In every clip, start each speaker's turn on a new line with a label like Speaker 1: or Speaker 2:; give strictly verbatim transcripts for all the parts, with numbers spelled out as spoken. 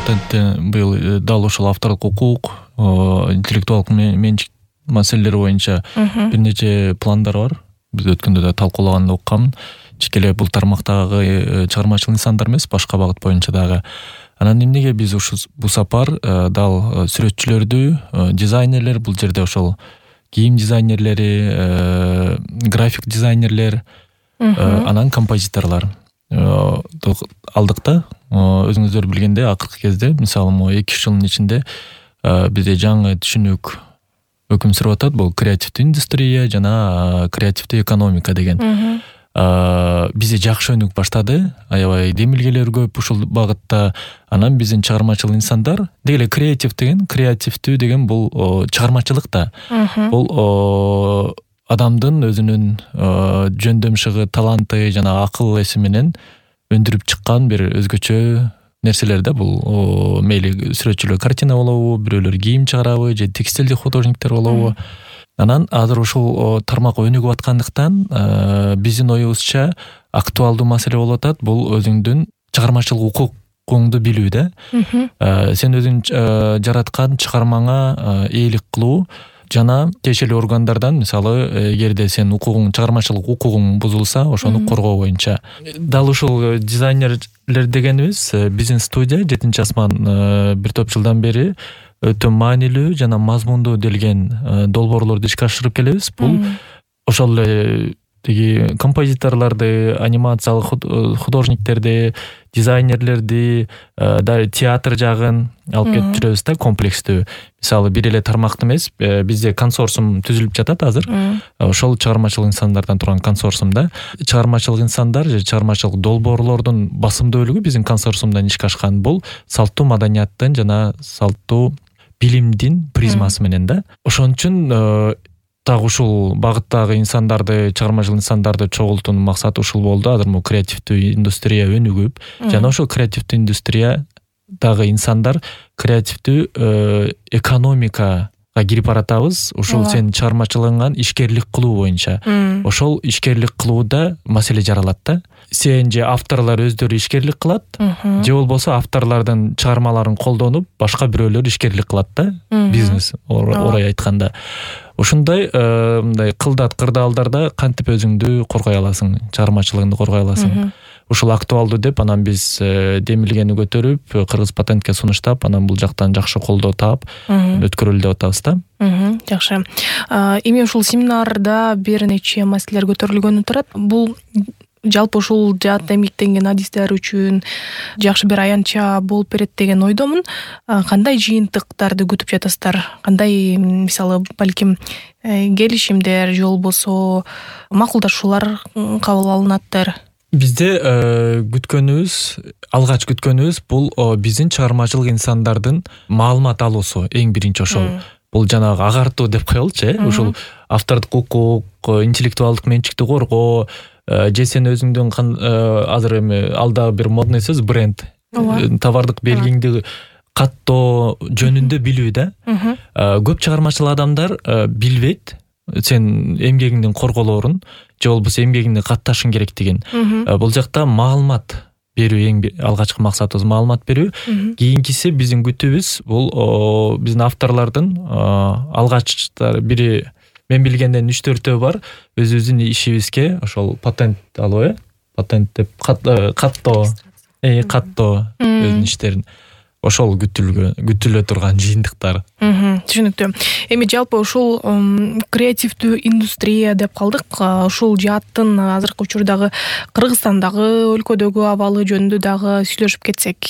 Speaker 1: патентте быйыл дал ушул авторлук укук, интеллектуалдык менчик маселелери боюнча бир нече пландар бар. Биз өткөндө да талкуулаганды уккам. Чек эле бул тармактагы чыгармачыл нысандар эмес, башка багыт боюнча дагы. Анан эмнеге биз ушу бул сапар дал сүрөтчүлөрдү, дизайнерлер, бул жерде ошол кийим дизайнерлери, график дизайнерлер, анан композиторлор алдык да. Өзүңүздөр билгендей, акыркы кезде, мисалы, могу эки үч жылдын ичинде бизде жаңы түшүнүк өкүм сүрүп атат. Бул креативдүү индустрия жана креативдүү экономика деген. Бизде жакшы өнүк баштады, аябай демилгелер көп ушул багытта. Анан биздин чыгармачыл инсандар, деги эле креатив деген, креативдүү деген бул чыгармачылык да. Бул адамдын өзүнүн жөндөмшүгү, таланты жана акыл эси менен өндүрүп чыккан бир өзгөчө нерселер да. Бул мейли сүрөтчүлөр картина болобу, бирөөлөр кийим чыгарабы, же текстилдик художниктер болобу. Анан азыр ушул тармак өнүгүп аткандыктан биздин оюбузча актуалдуу маселе болуп атат. Бул өзүңдүн чыгармачылык укугуңду билүү да. Сен өзүң жараткан чыгармаңа ээлик кылуу жана тиешелүү органдардан, мисалы, эгерде сен укугуң, чыгармачылык укугуң бузулса, ошону коргоо боюнча. Дал ушул дизайнерлер дегенибиз биздин студия жетинчи асман бир топ жылдан бери өтө маанилүү жана мазмундуу делген долбоорлорду ишке ашырып келебиз. Бул ошол эле тиги композиторлорду, анимациялык художниктерди, дизайнерлерди, да театр жагын алып кетип жүрөбүз да, комплекстүү. Мисалы, бир эле тармакты эмес, бизде консорциум түзүлүп жатат азыр. Ошол чыгармачылык инсандардан турган консорциумда чыгармачылык инсандар же чыгармачылык долбоорлордун басымдуу бөлүгү биздин консорциумдан ишке ашкан. Бул салттуу маданияттын жана салттуу билимдин призмасы менен да. Ошон үчүн так ушул багыттагы инсандарды, чыгармачыл инсандарды чогултуунун максаты ушул болду. Азыр бул креативдүү индустрия өнүгүп, жана ошол креативдүү индустриядагы инсандар креативдүү экономикага кирип баратабыз. Ушул сен чыгармачылыгыңан ишкерлик кылуу боюнча. Ошол ишкерлик кылууда маселе жаралат да. Сен же авторлор өздөрү ишкерлик кылат, же болбосо авторлордун чыгармаларын колдонуп, башка бирөөлөр ишкерлик кылат да. Бизнес орай айтканда. Ушундай мындай кылдат кырдаалдарда кантип өзүңдү коргой аласың, чыгармачылыгыңды коргой аласың. Ушул актуалдуу деп, анан биз демилгени көтөрүп, Кыргыз патентке сунуштап, анан бул жактан жакшы колдоо таап өткөрөлү деп атабыз да.
Speaker 2: Жакшы. Эми ушул семинарда бир нече маселелер көтөрүлгөнү турат. Бул жалпы ушул жаат эмгектенген адистер үчүн жакшы бир аянтча болуп берет деген ойдомун. Кандай жыйынтыктарды күтүп жатасыздар? Кандай, мисалы, балким келишимдер же болбосо макулдашуулар кабыл алынаттыр?
Speaker 1: Бизде күткөнүбүз, алгач күткөнүбүз бул биздин чыгармачылык инсандардын маалымат алуусу эң биринчи ошол. Бул жанагы агартуу деп коелучу, э? Ушул автордук укук, интеллектуалдык менчикти коргоо, же сен өзүңдүн азыр эми алдагы бир модный сөз бренд, товардык белгиңди каттоо жөнүндө билүү да. Көп чыгармачыл адамдар билбейт сен эмгегиңдин корголоорун, же болбосо эмгегиңди катташың керектигин. Бул жакта маалымат берүү эң алгачкы максатыбыз, маалымат берүү. Кийинкиси биздин күтүүбүз бул биздин авторлордун алгачтар бири мен билгенден үч төртөө бар, өзүбүздүн ишибизге ошол патент алуу, э? Патент деп каттоо, э каттоо өзүнүн иштерин. Ошол күтүлө турган жыйынтыктар.
Speaker 2: Түшүнүктүү. Эми жалпы ушул креативдүү индустрия деп калдык. Ушул жааттын азыркы учурдагы Кыргызстандагы өлкөдөгү абалы жөнүндө дагы сүйлөшүп кетсек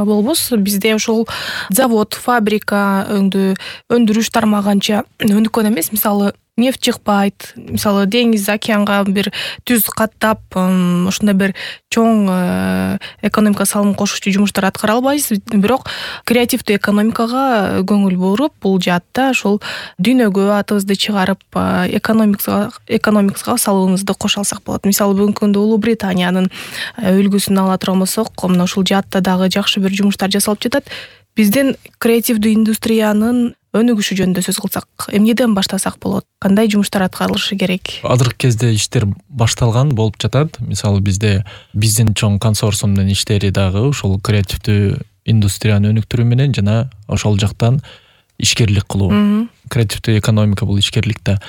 Speaker 2: болбос. Бизде ошол завод, фабрика өндүрүш тармагынча өнүккөн эмес. Мисалы, нефть чыкпайт, мисалы, деңиз, океанга бир түз каттап, ошондой бир чоң экономика салым кошуучу жумуштар аткара албайбыз. Бирок креативдүү экономикага көңүл буруп, бул жаатта ошол дүйнөгө атыбызды чыгарып, экономикага экономикага салуубузду кошо алсак болот. Мисалы, бүгүнкү күндө Улуу Британиянын үлгүсүн ала турган болсок, мына ушул жаатта дагы жакшы бир жумуштар жасалып жатат. Биздин креативдүү индустриянын өнүгүшү жөнүндө сөз кылсак, эмнеден баштасак болот? Кандай жумуштар аткарылышы керек?
Speaker 1: Азыркы кезде иштер башталган болуп жатат. Мисалы, бизде биздин чоң консорциумдун иштери дагы ушул креативдүү индустрияны өнүктүрүү менен жана ошол жактан ишкерлик кылуу. Креативдүү экономика бул ишкерлик да.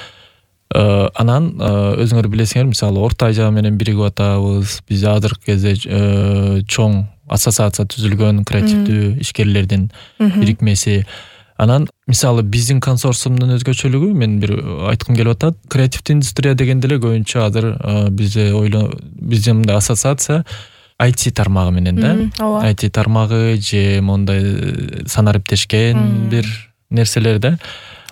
Speaker 1: Анан өзүңөр билесиңер, мисалы Орто Азия менен биригип атабыз. Биз азыркы кезде чоң ассоциация түзүлгөн креативдүү ишкерлердин бирикмеси. Анан мисалы биздин консорциумдун өзгөчөлүгү мен бир айткым келип атат. Креативдүү индустрия дегенде эле көбүнчө азыр бизде ойло биздин мындай ассоциация ай ти тармагы менен да. ай ти тармагы же мондай санариптешкен бир нерселер да.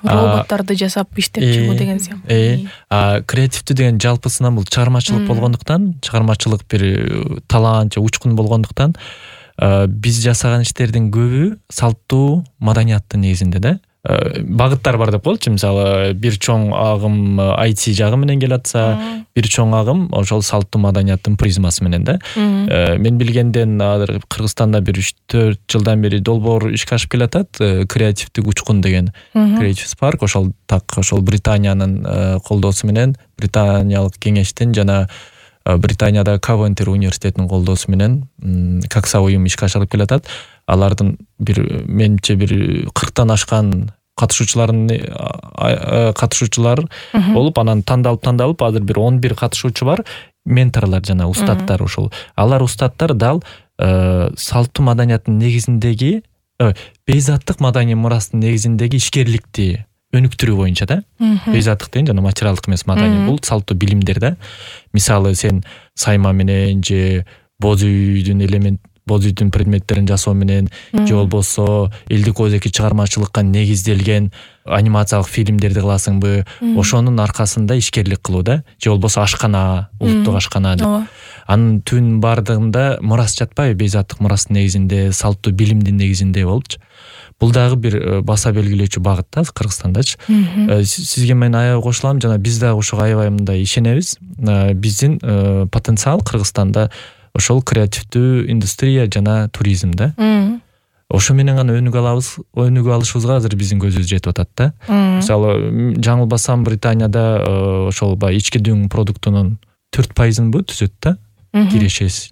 Speaker 2: Роботтарды жасап иштеп чыгуу деген сыяктуу.
Speaker 1: А креативдүү деген жалпысынан бул чыгармачылык болгондуктан, чыгармачылык бир талант же учкун болгондуктан биз жасаган иштердин көбү салттуу маданияттын негизинде да. Багыттар бар деп коелучу. Мисалы бир чоң агым ай ти жагы менен келатса, бир чоң агым ошол салттуу маданияттын призмасы менен да. Мен билгенден азыр Кыргызстанда бир үч төрт жылдан бери долбоор ишке ашып келатат. Креативдүү учкун деген Creative Spark ошол так ошол Британиянын колдоосу менен, британиялык кеңештин жана Британияда Кавентри университетинин колдоосу менен какса уюм ишке ашырып келатат. Алардын бир менимче бир кырктан ашкан катышуучуларын катышуучулар болуп, анан тандалып тандалып азыр бир он бир катышуучу бар. Менторлор жана устаттар ошол. Алар устаттар дал салттуу маданияттын негизиндеги, бейзаттык маданий мурастын негизиндеги ишкерликти өнүктүрүү боюнча да. Бейзаттык деген жана материалдык эмес маданий, бул салттуу билимдер да. Мисалы сен сайма менен же боз үйдүн элемент боз үйдүн предметтерин жасоо менен же болбосо элдик өзеки чыгармачылыкка негизделген анимациялык фильмдерди кыласыңбы, ошонун аркасында ишкерлик кылуу да. Же болбосо ашкана, улуттук ашкана деп. Анын түбүнүн бардыгында мурас жатпайбы? Бейзаттык мурастын негизинде, салттуу билимдин негизинде болупчу. Бул дагы бир баса белгилөөчү багыт да Кыргызстандачы. Сизге мен аябай кошулам, жана биз дагы ошого аябай мындай ишенебиз. Биздин потенциал Кыргызстанда ошол креативдүү индустрия жана туризм да. Ошо менен гана өнүгө алабыз, өнүгө алышыбызга азыр биздин көзүбүз жетип атат да. Мисалы, жаңылбасам Британияда ошол ички дүң продуктунун төрт пайызын бу түзөт да, кирешеси.